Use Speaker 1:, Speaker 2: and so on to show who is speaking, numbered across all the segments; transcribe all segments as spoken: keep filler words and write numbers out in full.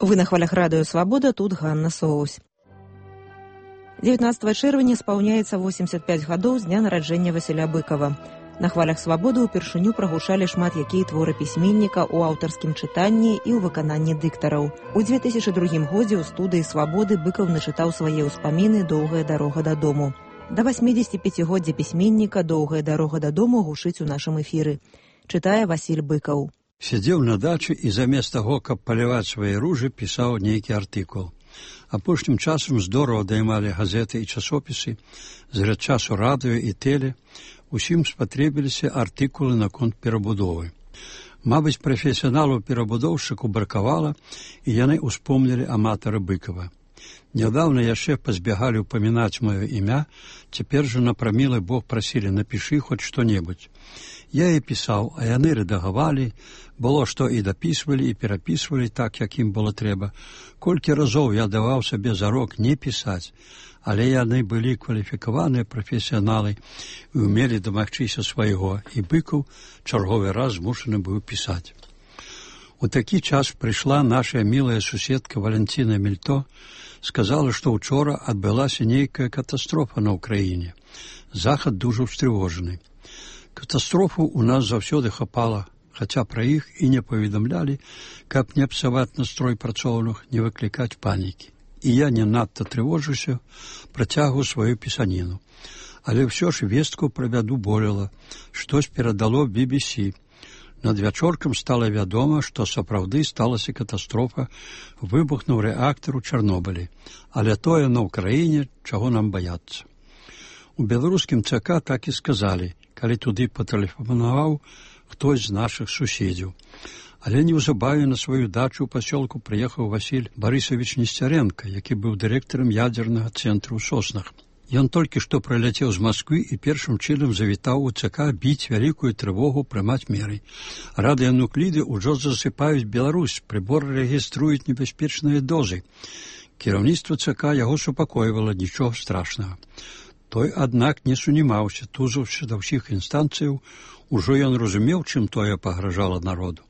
Speaker 1: Вы на хвалях радыё «Свабода», тут Ганна Соусь. дзевятнаццатага чэрвеня спаўняецца восемьдесят пять гадоў з дня нараджэння Васіля Быкова. На хвалях «Свабоды» упершыню прагучалі шмат якія творы пісьменніка ў аўтарскім чытанні і ў выкананні дыктараў. У две тысячы другім годзе ў студыі «Свабоды» Быкаў начытаў свае ўспаміны «Доўгая дарога дадому». Да восьмидесятипятигоддзя пісьменніка «Доўгая дарога дадому» гучыць у нашым эфіры. Чытае Васіль Быкаў.
Speaker 2: Сядзеў на дачы і замест таго, каб паліваць свае ружы, пісаў нейкі артыкул. Апошнім часам здорава даймалі газеты і часопісы, зрад часу радыё і тэле, усім спатрэбіліся артыкулы наконт перабудовы. Мабыць, прафесіяналаў-перабудоўшчыку бракавала, і яны ўспомнілі аматара Быкава. Нядаўна яшчэ пазбягалі ўпамінаць маё імя, цяпер жа на прамілы Бог прасілі «напішы хоць што-небудзь». Я і пісаў, а яны рэдагавалі, было што і дапісвалі, і перапісвалі так, як ім было трэба. Колькі разоў я даваў сабе зарок не пісаць, але яны былі кваліфікаваныя прафесіяналы і ўмелі дамагчыся свайго, і Быкаў чарговы раз змушаны быў пісаць. У такі час прыйшла наша мілая суседка Валянціна Мільто, сказала, што ўчора адбылася нейкая катастрофа на ўкраіне. Захад дужа ўстрывожаны. Катастрофу у нас заўсёды хапала, хаця пра іх і не паведамлялі, каб не псаваць настрой працоўных, не выклікаць панікі. І я не надта трывожуся, працягваю сваю пісаніну. Але ўсё ж вестку пра бяду болела, штось перадало би би сі. Над вячоркам стала вядома, што сапраўды сталася катастрофа, выбухнуў рэактар у Чарнобылі, але тое на ўкраіне, чаго нам баяцца. У беларускім ЦК так і сказалі, калі туды патэлефанаваў хтось з нашых суседзяў. Але неўзабаве на сваю дачу ў пасёлку прыехаў Васіль Барысавіч Несцярэнка, які быў дырэктарам ядзернага цэнтру ў Соснах. Ён толькі што прыляцеў з Масквы і першым чынам завітаў у ЦК біць вялікую трывогу, прымаць меры. Радыянукліды ўжо засыпаюць Беларусь, прыборы рэгіструюць небяспечныя дозы. Кіраўніцтва ЦК яго супакойвала, нічога страшнага. Той, аднак, не сунімаўся, тузаўся да ўсіх інстанцыяў, ужо ён разумеў, чым тое пагражала народу.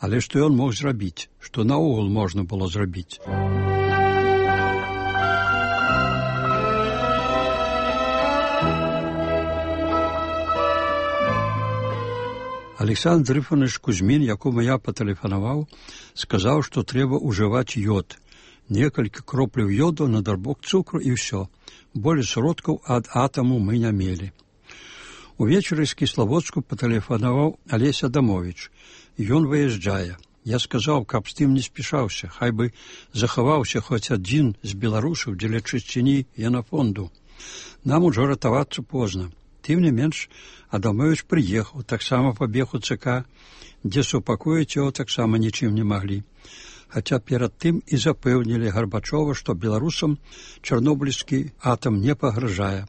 Speaker 2: Але што ён мог зрабіць, што наогул можна было зрабіць. Александр Ифанович Кузьмін, якому я патэлефанаваў, сказаў, што трэба ўжываць ёд. Некалькі кропляў ёду на дарбок цукру і ўсё. Болей сродкаў ад атаму мы не мелі. Увечары з Кіславодску патэлефанаваў Алесь Адамовіч. Ён выязджае. Я сказаў, каб з тым не спішаўся, хай бы захаваўся хоць адзін з беларусаў дзеля чысціні генафонду. Нам ужо ратавацца позна. Тым не менш, Адамовіч прыехаў, таксама пабег у ЦК, дзе супакоіць яго таксама нічым не маглі. Хаця перад тым і запэўнілі Гарбачова, што беларусам чарнобыльскі атам не пагражае.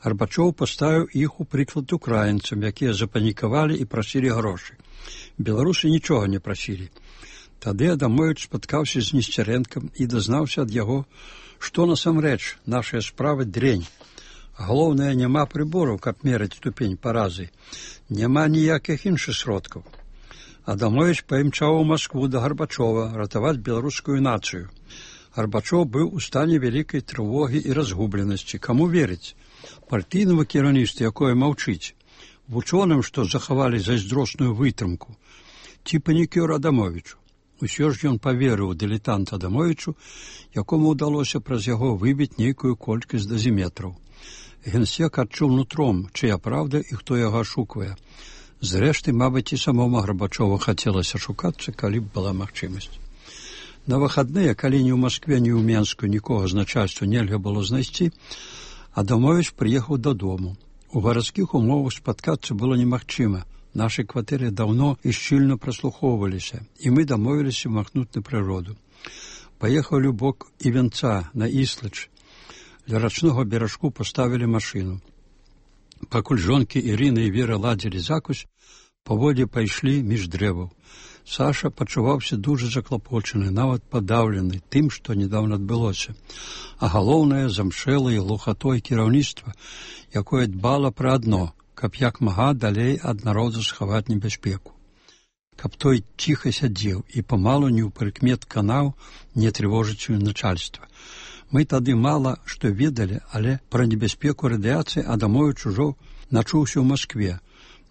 Speaker 2: Гарбачоў паставіў іх у прыклад украінцам, якія запанікавалі і прасілі грошы. Беларусы нічога не прасілі. Тады Адамовіч спаткаўся з Несцярэнкам і дазнаўся ад яго, што насамрэч нашая справа дрэнь. Галоўнае, няма прыбораў, каб мераць ступень паразы. Няма ніякіх іншых сродкаў. Адамовіч паімчаў у Маскву да Гарбачова ратаваць беларускую нацыю. Гарбачоў быў у стане вялікай трывогі і разгубленасці. Каму верыць? Партыйнаму кіраўніцтву, якое маўчыць? Вучоным, што захавалі зайздросную вытрымку? Ці панікёр Адамовічу? Усё ж ён паверыў дылетант Адамовічу, якому ўдалося праз яго выбіць нейкую колькасць дазіметраў. Генсек адчуў нутром, чыя праўда і хто яго ашуквае. Зрэшты, мабыць, і самому Гарбачову хацелася шукацца, калі б была магчымасць. На выхадныя, калі ні ў Маскве, ні ў Менску нікога з начальства нельга было знайсці, Адамовіч прыехаў дадому. У гарадскіх умовах спаткацца было немагчыма. Нашы кватэры даўно і шчыльна праслухоўваліся, і мы дамовіліся махнуць на прыроду. Паехалі ў бок Івенца, на Іслач. Ля рачнога беражку паставілі машыну. Пакуль жонкі Ірына і Вера ладзілі закусь, паводзе пайшлі між дрэваў. Саша пачуваўся дужа заклапочаны, нават падаўлены тым, што недаўна адбылося. А галоўнае, замшэлай глухатой кіраўніцтва, якое дбала пра адно, каб як мага далей ад народа схаваць небяспеку. каб той ціха сядзеў і памалу не ў прыкмет канаў не трывожыць начальства. Мы тады мала што ведалі, але пра небяспеку радыяцыі Адамовіч ужо начуўся ў Маскве.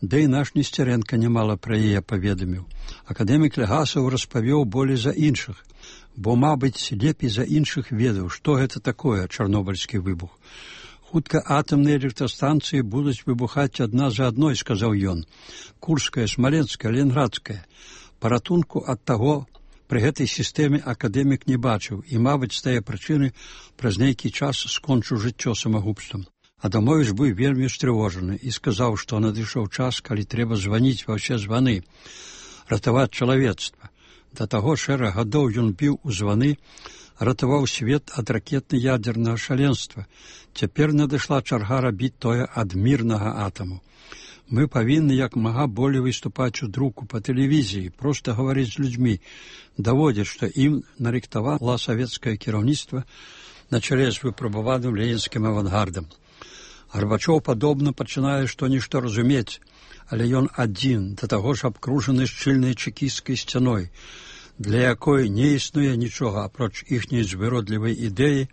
Speaker 2: Да і наш Несцярэнка нямала пра яе паведаміў. Акадэмік Легасаў распавёў болей за іншых, бо, мабыць, лепей за іншых ведаў, што гэта такое чарнобыльскі выбух. Хутка атамныя электрастанцыі будуць выбухаць адна за адной, сказаў ён. Курская, Смаленская, Ленградская. Паратунку ад таго пры гэтай сістэме акадэмік не бачыў і, мабыць, з тае прычыны праз нейкі час скончыў жыццё самагубствам. Адамовіч быў вельмі стрывожаны і сказаў, што надышоў час, калі трэба званіць ва ўсе званы, ратаваць чалавецтва. Да таго шэраг гадоў ён біў у званы, ратаваў свет ад ракетна-ядзернага шаленства. Цяпер надышла чарга рабіць тое ад мірнага атаму. Мы павінны як мага болей выступаць у друку па тэлевізіі, проста гаварыць з людзьмі, даводзіць, што ім нарыхтавала савецкае кіраўніцтва на чале з выпрабаваным ленінскім авангардам. Гарбачоў падобна пачынае што-нішто разумець, але ён адзін, да таго ж абкружаны шчыльнай чэкісцкай сцяной, для якой не існуе нічога апроч іхняй звыродлівай ідэі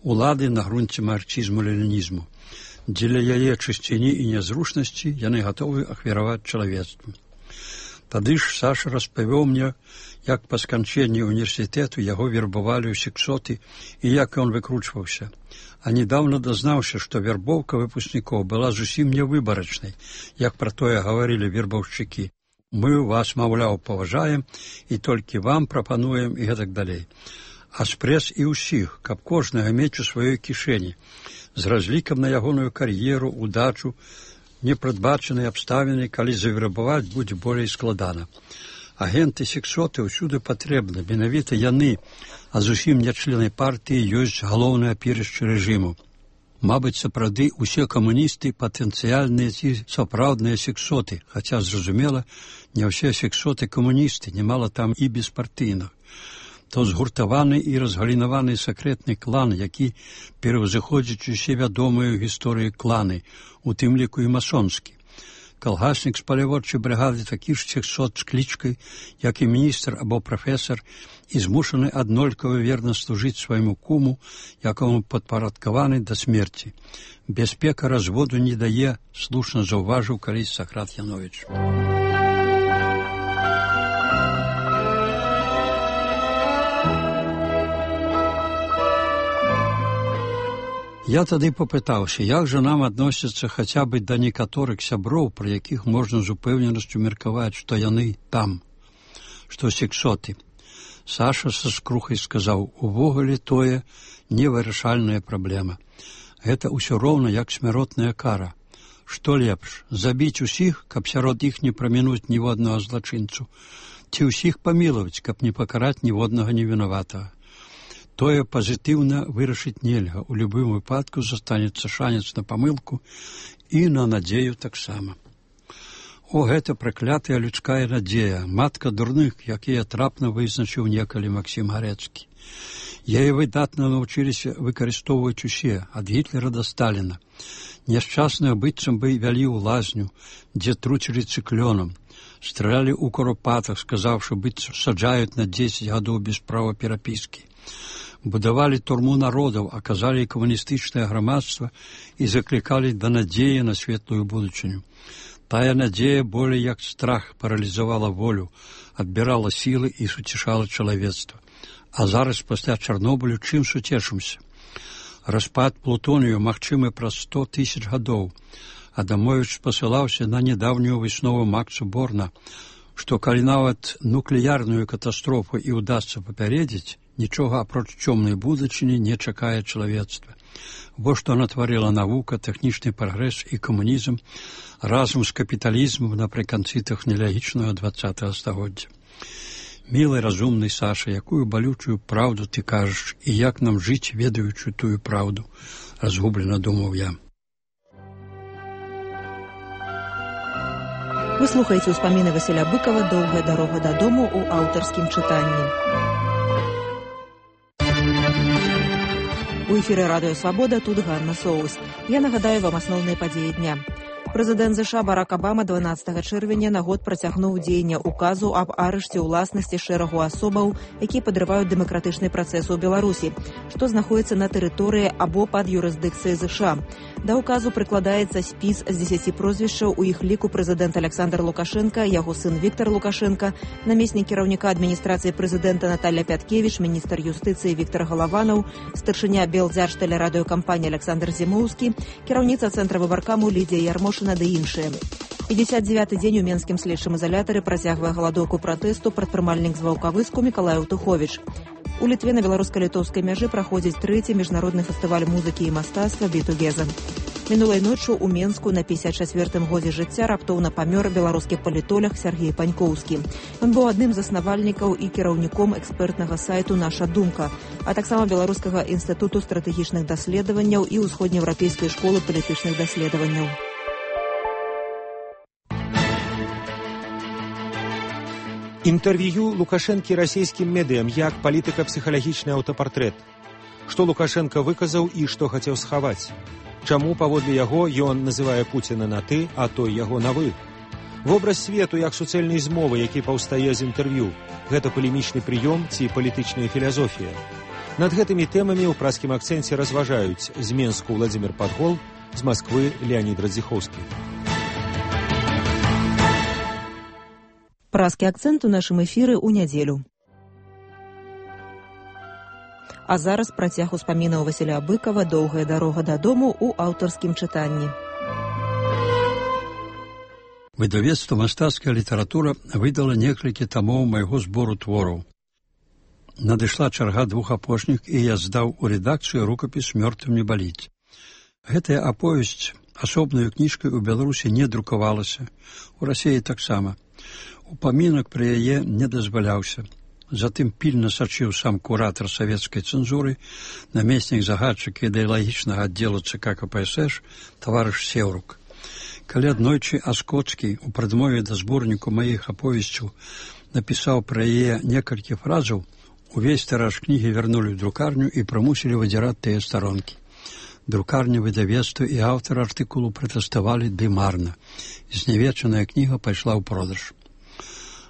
Speaker 2: улады на грунце марксізму-ленінізму. Дзеля яе чысціні і нязручнасці яны гатовы ахвяраваць чалавецтву. Тады ж Саша распавёў мне, як па сканчэнні універсітэту яго вербавалі ў сексоты і як ён выкручваўся. А недавно дазнаўся, што вербоўка выпускнікоў была зусім нявыбарачнай, як пра тое гаварылі вербаўшчыкі. Мы вас, маўляў, паважаем і толькі вам прапануем і гэтак далей. А спрэс і ўсіх, каб кожнага мець у сваёй кішэні, з разлікам на ягоную кар'еру, удачу, непрадбачаныя абставіны, калі завербаваць будзе болей складана. Агенты сексоты ўсюды патрэбны, менавіта яны, а зусім не члены партыі, ёсць галоўнае апірышча рэжыму. Мабыць, сапраўды усе камуністы патэнцыяльныя ці сапраўдныя сексоты, хаця, зразумела, не ўсе сексоты камуністы, немала там і беспартыйных. То згуртаваны і разгалінаваны сакрэтны клан, які пераўзыходзіць усе вядомыя ў гісторыі кланы, у тым ліку і масонскі. Калгаснік з паляводчай брыгады такі ж сексот з клічкай, як і міністр або прафесар, і змушаны аднолькава верна служыць свайму куму, якому падпарадкаваны да смерці. Бяспека разводу не дае, слушна заўважыў калісь Сакрат Яновіч. Я тады папытаўся, як жа нам адносяцца хаця бы да некаторых сяброў, пра якіх можна з упэўненасцю меркаваць, што яны там, што сексоты. Саша са скрухай сказаў, увогуле тое невырашальная праблема. Гэта ўсё роўна як смяротная кара. Што лепш, забіць усіх, каб сярод іх не прамінуць ніводнага злачынцу, ці ўсіх памілаваць, каб не пакараць ніводнага невінаватага. Тое пазітыўна вырашыць нельга, у любым выпадку застанецца шанец на памылку і на надзею таксама. О, гэта праклятая людская надзея, матка дурных, якія трапна вызначыў некалі Максім Гарэцкі. Яе выдатна навучыліся выкарыстоўваць усе, ад Гітлера да Сталіна. Няшчасныя быццам бы вялі ў лазню, дзе труцілі цыклёнам, стралялі ў куропатах, сказаўшы, быццам саджаюць на дзесяць гадоў без права перапіскі. Будавалі турму народаў, аказалі камуністычнае грамадства і заклікалі да надзеі на светлую будучыню. Тая надзея болей як страх паралізавала волю, адбірала сілы і суцішала чалавецтва. А зараз пасля Чарнобылю чым суцешымся? Распад плутонію магчымы праз сто тысяч гадоў. Адамовіч спасылаўся на нядаўнюю выснову Макса Борна, што калі нават нуклеярную катастрофу і ўдасца папярэдзіць, нічога апроч цёмнай будучыні не чакае чалавецтва. Во што натварыла навука, тэхнічны прагрэс і камунізм разам з капіталізмам напрыканцы тэхналагічнага дваццатага стагоддзя. Мілы, разумны Саша, якую балючую праўду ты кажаш, і як нам жыць, ведаючы тую праўду, разгублена думаў я.
Speaker 1: Вы слухаеце ўспаміны Васіля Быкова «Доўгая дарога дадому» ў аўтарскім чытанні. У эфіры радыё «Свабода», тут Ганна Соус. Я нагадаю вам асноўныя падзеі дня. Прэзідэнт ЗША Барак Абама дванаццатага чэрвеня на год працягнуў дзеянне указу аб арышце ўласнасці шэрагу асобаў, якія падрываюць дэмакратычны працэс у Беларусі, што знаходзіцца на тэрыторыі або пад юрысдыкцыяй ЗША. Да указу прыкладаецца спіс з дзесяці прозвішчаў, у іх ліку прэзідэнт Александр Лукашенко, яго сын Віктор Лукашенко, намеснік кіраўніка адміністрацыі прэзідэнта Наталья Пяткевіч, міністр юстыцыі Віктор Галаванаў, старшыня Белдзяржтэлерадыёкампаніі Александр Зімоўскі, кіраўніца цэнтра выбаркаму Лідія Ярмошына ды іншыя. пятьдесят девятый дзень у менскім следчым изолятары працягвае галадоўку пратэсту прадпрымальнік з Ваўкавыску Мікалай Утуховіч. У Літве на беларуска-літоўскай мяжы праходзіць трэці міжнародны фестываль музыкі і мастацтва «Бітугеза». Мінулай ноччу ў Менску на пятьдесят чацвёртым годзе жыцця раптоўна памёр беларускі палітолог Сергей Панькоўскі. Ён быў адным з заснавальнікаў і кіраўніком экспертнага сайту «Наша думка», а таксама Беларускага інстытуту стратэгічных даследаванняў і ўсходнееўрапейскай школы палітычных даследаванняў.
Speaker 3: Інтэрв'ю Лукашэнкі расійскім медыям як палітыка-псіхалагічны аўтапартрэт. Што Лукашенко выказаў і што хацеў схаваць? Чаму, паводле яго, ён называе Пуціна на «ты», а той яго на «вы»? Вобраз свету як суцэльнай змовы, які паўстае з інтэрв'ю. Гэта палемічны прыём ці палітычная філазофія? Над гэтымі тэмамі ў праскім акцэнце разважаюць з Менску Владзімир Падгол, з Масквы Леонід Радзіхоўскі.
Speaker 1: Праскі акцэнт у нашым эфіры ў нядзелю. А зараз працяг успамінаў Васіля Быкава «Доўгая дарога дадому» ў аўтарскім чытанні.
Speaker 2: Выдавецтва «Мастацкая літаратура» выдала некалькі тамоў майго збору твораў. Надышла чарга двух апошніх, і я здаў у рэдакцыю рукапіс «Мёртвым не баліць». Гэтая аповесць асобнаю кніжкай у Беларусі не друкавалася, у Расіі таксама. Упамінак пра яе не дазваляўся. Затым пільна сачыў сам куратар савецкай цэнзуры, намеснік загадчыка ідэалагічнага аддзелу ЦК КПСС, таварыш Сеўрук. Калі аднойчы Аскоцкі у прадмове да зборніку маіх аповесцяў напісаў пра яе некалькі фразаў, увесь тыраж кнігі вярнулі ў друкарню і прымусілі выдзіраць тыя старонкі. Друкарня, выдавецтва і аўтар артыкулу пратэставалі ды марна. Знявечаная кніга пайшла ў продаж.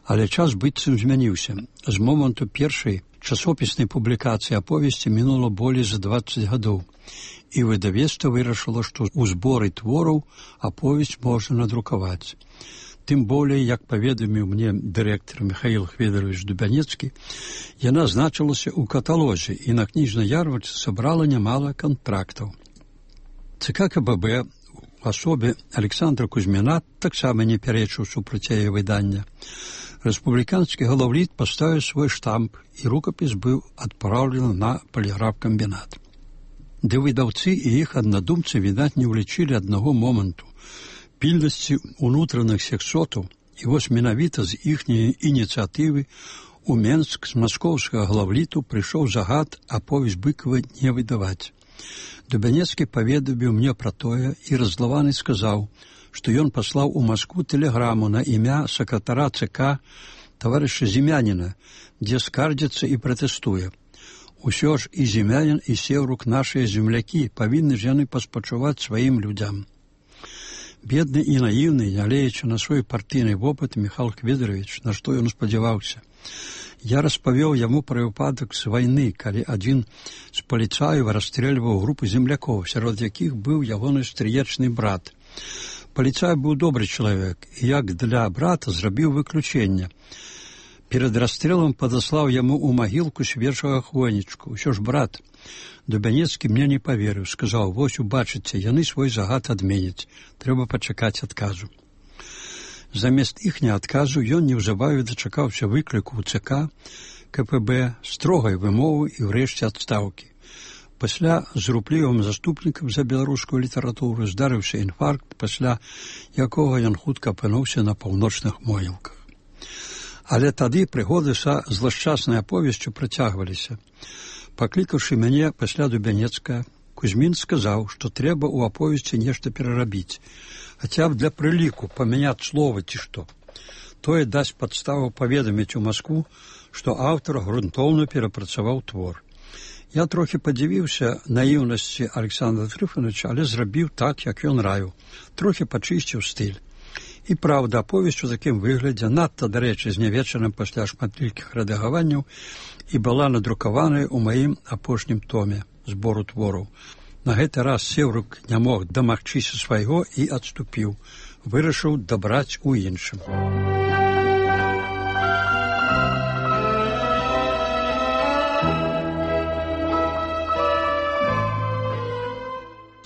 Speaker 2: Але час быццам змяніўся. З моманту першай часопіснай публікацыі аповесці мінула болей за дваццаць гадоў, і выдавецтва вырашыла, што ў зборы твораў аповесць можна надрукаваць. Тым болей, як паведаміў мне дырэктар Михаил Хведорович Дубянецкі, яна значылася ў каталозе, і на кніжнай ярмарцы сабрала нямала кантрактаў. ЦК КББ у асобе Александра Кузьміна таксама не пярэчыў супраць яе выдання. Рэспубліканскі галаўліт паставіў свой штамп, і рукапіс быў адпраўлены на паліграфкамбінат. Ды выдаўцы і іх аднадумцы, відаць, не ўлічылі аднаго моманту пільнасці ўнутраных сексотаў, і вось менавіта з іхняй ініцыятывы у Менск з маскоўскага галаўліту прыйшоў загад аповесць Быкава не выдаваць. Дубянецкі паведаміў мне пра тое, і раззлаваны сказаў, што ён паслаў у Маскву тэлеграму на імя сакратара ЦК таварыша Зімяніна, дзе скардзіцца і пратэстуе. Усё ж і Зімянін, і Сеўрук нашыя землякі, павінны ж яны паспачуваць сваім людзям. Бедны і наіўны, нягледзячы на свой партыйны вопыт, Михаил Хведорович, на што ён спадзяваўся. Я распавёў яму пра выпадак з вайны, калі адзін з паліцаяў расстрэльваў групу землякоў, сярод якіх быў ягоны стрыечны брат. Паліцай быў добры чалавек, і як для брата зрабіў выключэнне. Перад расстрэлам падаслаў яму ў магілку свежага хвойнічку. Усё ж брат. Дубянецкі мне не паверыў, сказаў: «Вось убачыце, яны свой загад адменяць. Трэба пачакаць адказу». Замест іхняга адказу ён неўзабаве дачакаўся выкліку ў ЦК КПБ, строгай вымовы і ўрэшце адстаўкі. Пасля з руплівым заступнікам за беларускую літаратуру здарыўся інфаркт, пасля якога ён хутка апынуўся на паўночных могілках. Але тады прыгоды са злашчаснай аповесцю працягваліся. Паклікаўшы мяне пасля Дубянецкага, Кузьмін сказаў, што трэба ў аповесці нешта перарабіць, хаця б для прыліку памяняць словы ці што. Тое дасць падставу паведаміць у Маскву, што аўтар грунтоўна перапрацаваў твор. Я трохі падзівіўся наіўнасці Александра Трыфановича, але зрабіў так, як ён раіў. Трохі пачысціў стыль. І праўда, аповесць у такім выглядзе, надта, дарэчы, знявечаным пасля шматлікіх рэдагаванняў, і была надрукаваная ў маім апошнім томе збору твораў. На гэты раз Сеўрук не мог дамагчыся свайго і адступіў. Вырашыў дабраць у іншым.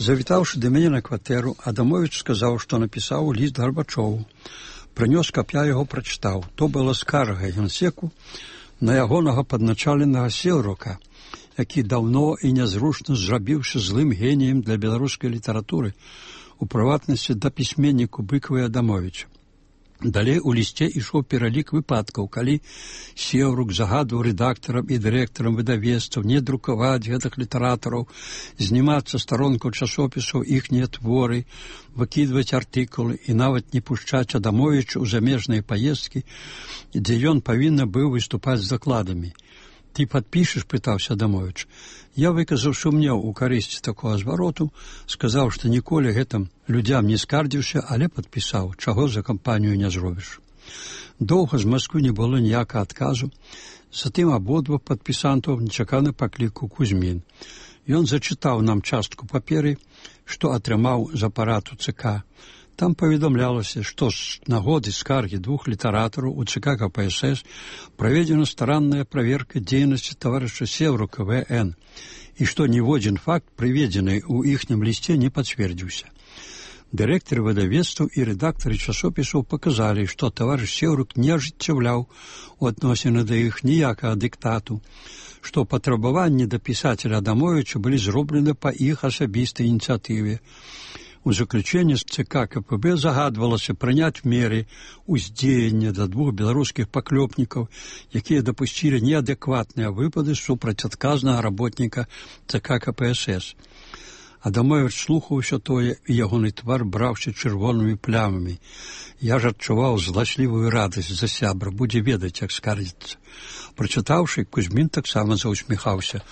Speaker 2: Завітаўшы да мяне на кватэру, Адамовіч сказаў, што напісаў ліст Гарбачову. Прынёс, каб я яго прачытаў. То была скарга генсеку на ягонага падначаленага Сеўрука, які даўно і нязручна зрабіўся злым геніем для беларускай літаратуры, у прыватнасці да пісьменніку Быкова і Адамовіча. Далей у лісце ішоў пералік выпадкаў, калі Сеўрук загадваў рэдактарам і дырэктарам выдавецтваў не друкаваць гэтых літаратараў, знімаць са старонкаў часопісаў іхнія творы, выкідваць артыкулы і нават не пушчаць Адамовіча ў замежныя паездкі, дзе ён павінен быў выступаць з закладамі. «Ты падпішаш?» – пытаўся Адамовіч. Я выказаў сумнеў у карысці такога звароту, сказаў, што ніколі гэтым людзям не скардзіўся, але падпісаў, чаго за кампанію не зробіш. Доўга з Масквы не было ніякага адказу, затым абодва падпісантаў нечакана паклікаў Кузьмін. Ён зачытаў нам частку паперы, што атрымаў з апарату ЦК. Там паведамлялася, што з нагоды скаргі двух літаратараў у ЦК КПСС праведзена старанная праверка дзейнасці таварыша Сеўрука В Н і што ніводзін факт, прыведзены ў іхнім лісце, не пацвердзіўся. Дырэктары выдавецтваў і рэдактары часопісаў паказалі, што таварыш Сеўрук не ажыццяўляў у адносіны да іх ніякага дыктату, што патрабаванні да пісацеля Адамовіча былі зроблены па іх асабістай ініцыятыве. У заключенні з ЦК КПБ загадвалася прыняць меры ўздзеяння да двух беларускіх паклёпнікаў, якія дапусцілі неадэкватныя выпады супраць адказнага работніка ЦК КПСС. Адамовіч слухаў усё тое, і ягоны твар браўся чырвонымі плямамі. Я ж адчуваў зласлівую радасць за сябра, будзе ведаць, як скардзіцца. Прачытаўшы, Кузьмін таксама заўсміхаўся.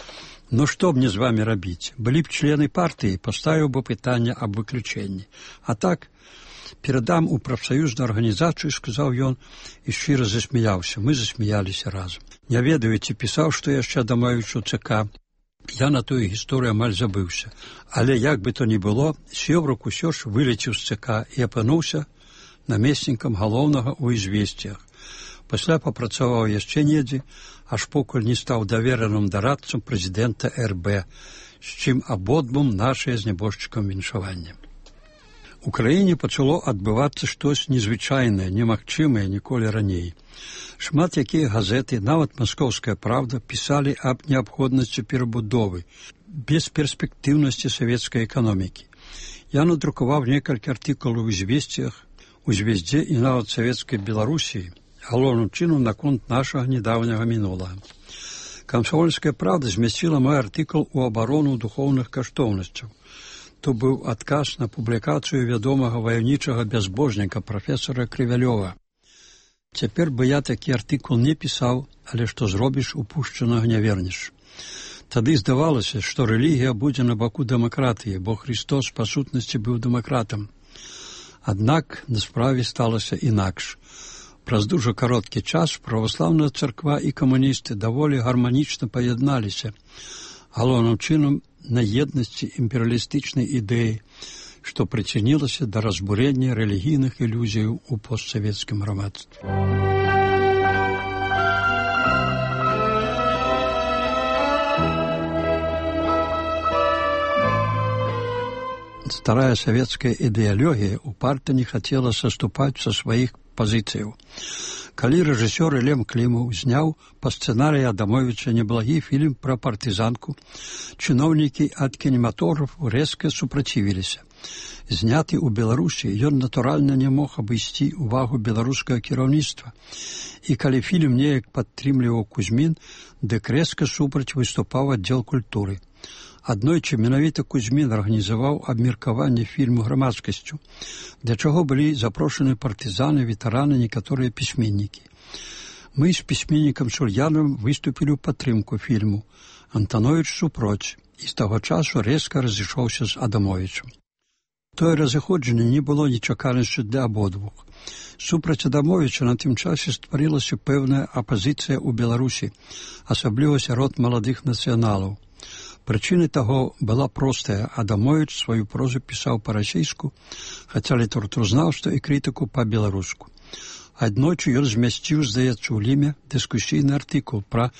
Speaker 2: «Ну што мне з вамі рабіць? Былі б члены партыі, паставіў бы пытанне аб выключэнні. А так, перадам у прафсаюзную арганізацыю», – сказаў ён і шчыра засмяяўся. Мы засмяяліся разам. Не ведаю, ці пісаў, што яшчэ Адамовічу ЦК. Я на тую гісторыю амаль забыўся. Але як бы то ні было, Сеўрук усё ж вылецеў з ЦК і апынуўся намеснікам галоўнага ў «Ізвесціях». Пасля папрацаваў яшчэ недзе, аж покуль не стаў давераным дарадцам прэзідэнта Эр Бэ, з чым абодвум нашае з нябожчыкам віншаванне. У краіне пачало адбывацца штось незвычайнае, немагчымае ніколі раней. Шмат якія газеты, нават «Маскоўская правда», пісалі аб неабходнасці перабудовы, бесперспектыўнасці савецкай эканомікі. Я надрукаваў некалькі артыкулаў у «Звесціях», у «Звездзе» і нават савецкай Беларусіі, галоўным чынам наконт нашага недаўняга мінулага. «Камсомольская правда» змясціла мой артыкул у абарону духоўных каштоўнасцяў. То быў адказ на публікацыю вядомага ваяўнічага бязбожніка прафесара Крывялёва. Цяпер бы я такі артыкул не пісаў, але што зробіш, упушчанага не вернеш. Тады здавалася, што рэлігія будзе на баку дэмакратыі, бо Христос па сутнасці быў дэмакратам. Аднак на справе сталася інакш. Праз дужа кароткі час праваслаўная царква і камуністы даволі гарманічна паядналіся, галоўным чынам на еднасці імперыялістычнай ідэі, што прычынілася да разбурення рэлігійных ілюзіяў у постсавецкім грамадстве. Старая савецкая ідэалогія упарта не хацела саступаць са сваіх пазіцыяў. Калі рэжысёр Лем Клімаў зняў па сцэнарыі Адамовіча неблагі фільм пра партызанку, чыноўнікі ад кінематографу рэзка супрацівіліся. Зняты ў Беларусі, ён натуральна не мог абысці увагу беларускага кіраўніцтва. І калі фільм неяк падтрымліваў Кузьмін, дык рэзка супраць выступаў аддзел культуры. Аднойчы менавіта Кузьмін арганізаваў абмеркаванне фільму грамадскасцю, для чаго былі запрошаны партызаны, ветэраны, некаторыя пісьменнікі. Мы з пісьменнікам Сур'янавым выступілі ў падтрымку фільму, Антановіч супроць, і з таго часу рэзка разышоўся з Адамовічам. Тое разыходжанне не было нечаканасцю для абодвух. Супраць Адамовіча на тым часе стварылася пэўная апазіцыя ў Беларусі, асабліва сярод маладых нацыяналаў. Прычынай таго была простая. Адамовіч сваю прозу пісаў па-расейску, хаця літаратуразнаўства і крытыку па-беларуску. Аднойчы ён змясціў, здаецца, у Ліме дыскусійны артыкул пра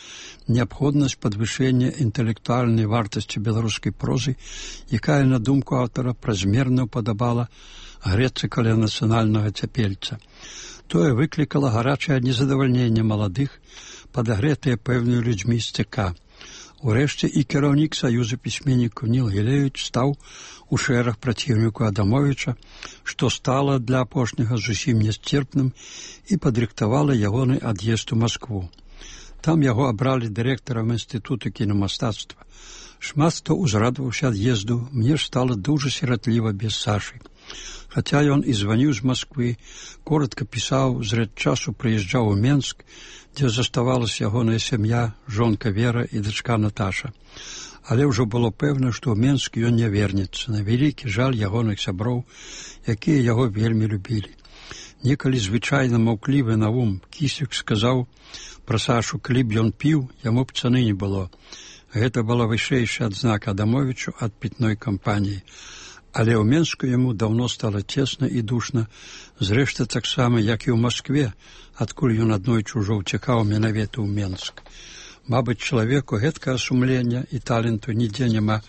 Speaker 2: неабходнасць падвышэння інтэлектуальнай вартасці беларускай прозы, якая, на думку аўтара, празмерна ўпадабала грэцца каля нацыянальнага цяпельца. Тое выклікала гарачае незадавальненне маладых, падагрэтыя пэўнымі людзьмі з ЦК. Урэшце і кіраўнік Саюза пісьменнікаў Ніл Гілевіч стаў у шэраг праціўніку Адамовіча, што стала для апошняга зусім нясцерпным і падрыхтавала ягоны ад'езд у Маскву. Там яго абралі дырэктарам інстытута кінамастацтва. Шмат хто узрадаваўся ад'езду, мне ж стала дужа сіратліва без Сашы. Хаця ён і званіў з Масквы, коратка пісаў, зрэд часу прыязджаў у Менск, дзе заставалася ягоная сям'я, жонка Вера і дачка Наташа. Але ўжо было пэвна, што ў Менск ён не вернецца, на вялікі жаль ягоных сяброў, якія яго вельмі любілі. Некалі звычайна маўклівы Наум Кісік сказаў пра Сашу, калі б ён піў, яму б цаны не было. Гэта была вышэйшая адзнака Адамовічу ад пітной кампаніі. Але ў Менску яму даўно стала цесна і душна, зрэшты таксама, як і ў Маскве, адкуль ён аднойчы ўжо ўцякаў менавіта ў Менск. Мабыць, чалавеку гэткага сумлення і таленту нідзе няма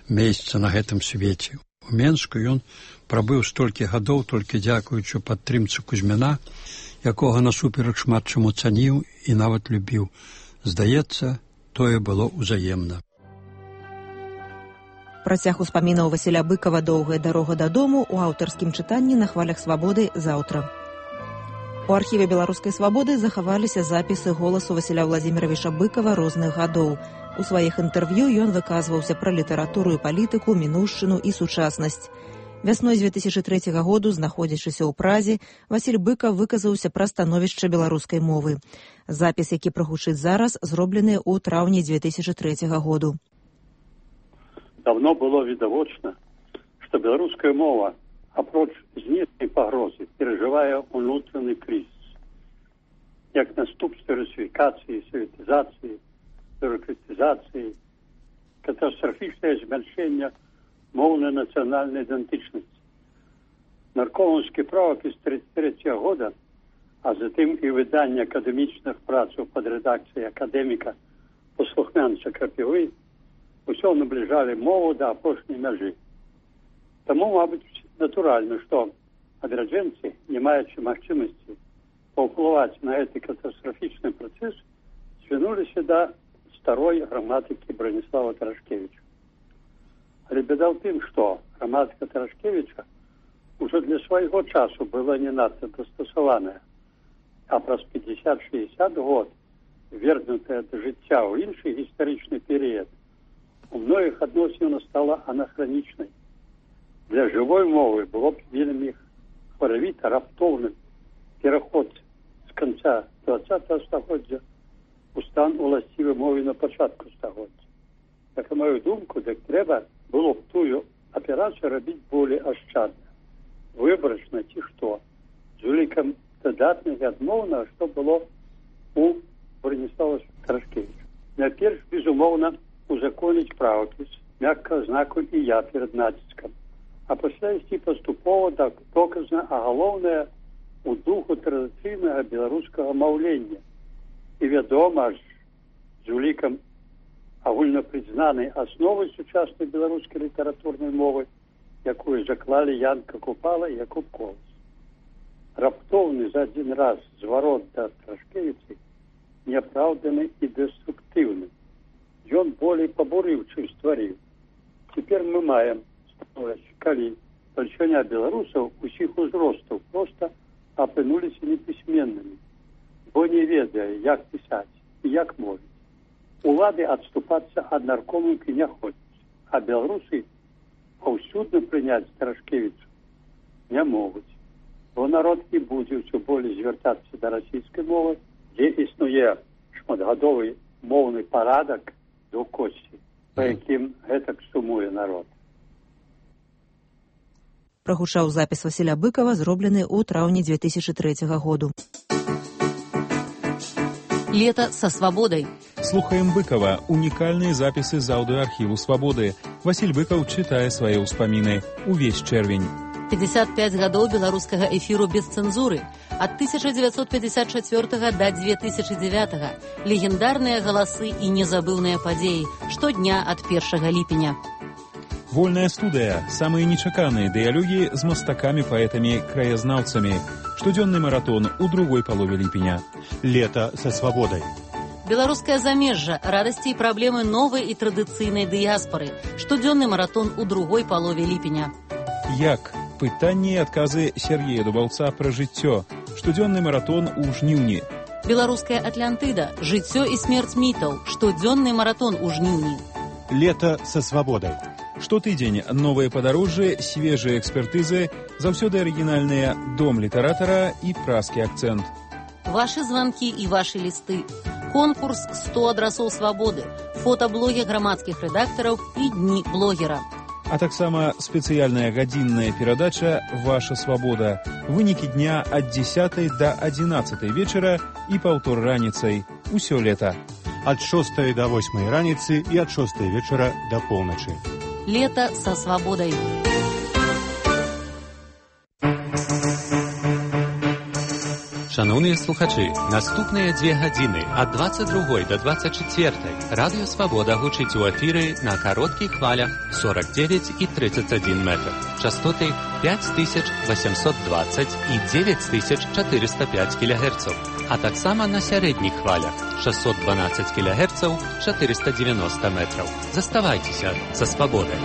Speaker 2: месца на гэтым свеце. У Менску ён прабыў столькі гадоў толькі дзякуючы падтрымцы Кузьміна, якога насуперак шмат чаму цаніў і нават любіў. Здаецца, тое было ўзаемна.
Speaker 1: Працяг успамінаў Васіля Быкава «Доўгая дарога дадому» у аўтарскім чытанні на хвалях свабоды заўтра. У архіве беларускай свабоды захаваліся запісы голасу Васіля Владзіміровича Быкава розных гадоў. У сваіх інтэрв'ю ён выказваўся пра літаратуру і палітыку, мінуўшчыну і сучаснасць. Вясной дзве тысячы трэцяга году, знаходзячыся ў Празе, Васіль Быкаў выказаўся пра становішча беларускай мовы. Запіс, які прагучыць зараз, зроблены ў траўні дзве тысячы трэцяга году.
Speaker 4: Давно было відавочна, што беларуская мова, апроч знешняй пагрозы, перажывае ўнутраны крызіс. Як наступствы русифікацыі, саветызацыі, бюрократызацыі, катастрафічнае змяншэнне моўнай нацыянальнай ідэнтычнасці. Наркомаўскі правапіс тридцать третьего года, а затым і выданне акадэмічных працаў пад рэдакцыяй акадэміка паслухмянца Крапівы усё набліжалі мову да апошняй мяжы. Таму, мабыць, натуральна, што адраджэнцы, не маючы магчымасці паўплываць на гэты катастрафічны працэс, звярнуліся да старой граматыкі Браніслава Тарашкевіча. Але бяда ў тым, што граматыка Тарашкевіча ўжо для свайго часу была не надта дастасаваная, а праз пятьдесят шестьдесят год, вернутая да жыцця ў іншы гістарычны перыяд, у многіх адносінах стала анахранічнай. Для жывой мовы было б вельмі хваравіта раптоўным пераход з канца двадцатого стагоддзя у стан уласцівы мове на пачатку стагоддзя. Так, на мою думку, так трэба было б тую аперацыю рабіць болей ашчадна, выбарачна ці што, з улікам дадатных адмоўнага, што было у Браніслава Тарашкевіча. Найперш, безумоўна, узаконіць правапіс, мякка знаку і я перад націскам, а пасля ісці паступова да доказна, а галоўнае у духу традыцыйнага беларускага маўлення. І вядома ж, з улікам агульнапрызнанай асновы сучаснай беларускай літаратурнай мовы, якую заклалі Янка Купала і Якуб Колас. Раптоўны за адзін раз зварот да Тарашкевіча няпраўданы і дэструктыўны. Ён болей пабурыў, чым стварыў. Цяпер мы маем становіч, калі бальшыня беларусаў усіх узростаў проста апынуліся непісьменнымі, бо не ведае, як пісаць і як мовіць. Улады адступацца ад наркомаўкі не ходзяць, а беларусы паўсюдна прыняць Тарашкевіча не могуць, бо народ і будзе ўсё болей звяртацца да расійскай мовы, дзе існуе шматгадовы моўны парадак до косці, па якім гэтак сумуе народ.
Speaker 1: Прагучаў запіс Васіля Быкава, зроблены ў траўні дзве тысячы трэцяга году.
Speaker 5: Лето со свободой.
Speaker 3: Слухаем Быкова. Уникальные записи з аудиоархиву «Свободы». Василь Быков читае свои ўспаміны. Увесь чэрвень.
Speaker 5: пятьдесят пять гадоў беларускага эфіру без цэнзуры. Ад тысяча девятьсот пятьдесят четвёртага да две тысячи девятага. Легендарныя галасы і незабыўныя падзеі. Штодня ад першага ліпеня.
Speaker 3: Вольная студыя. Самые нечаканные дыялогі з мастакамі, паэтамі, краязнаўцамі. Штодзённы маратон у другой палове ліпеня. Лето со свободой.
Speaker 5: Беларускае замежжа, радасці і праблемы новай і традыцыйнай дыяспары. Штодзённы маратон у другой палове ліпеня.
Speaker 3: Як? Пытанні і адказы Сергея Дубаўца пра жыццё. Штодзённы маратон у жніўні.
Speaker 5: Беларуская Атлантыда. Жыццё і смерць мітаў. Штодзённы маратон у жніўні.
Speaker 3: Лето со свободой. Штотыдзень новыя падарожжы, свежыя экспертызы, заўсёды арыгінальныя дом літаратара і празкі акцэнт.
Speaker 5: Вашы званкі і вашы лісты. Конкурс сто адрасоў свабоды, фотаблогі грамадскіх рэдактараў і дні блогера.
Speaker 3: А таксама спецыяльная гадзінная перадача «Ваша свабода». Вынікі дня ад дзесятай да адзінаццатай вечара і паўтор раніцай. Усё лета. Ад шостай да восьмай раніцы і ад шостай вечара да поўначы.
Speaker 5: Лето со свободой.
Speaker 6: Шановні слухачі, наступныя дзве гадзіны ад двадцять другой до двадцять четвертой Радыё Свабода гучыць у эфіры на кароткіх хвалях сорок девять и тридцать один метр. Частоты пять тысяч восемьсот двадцать и девять тысяч четыреста пять килогерцаў, а таксама на сярэдніх хвалях шестьсот двенадцать килогерцаў, четыреста девяносто метров. Заставайцеся са Свабодай.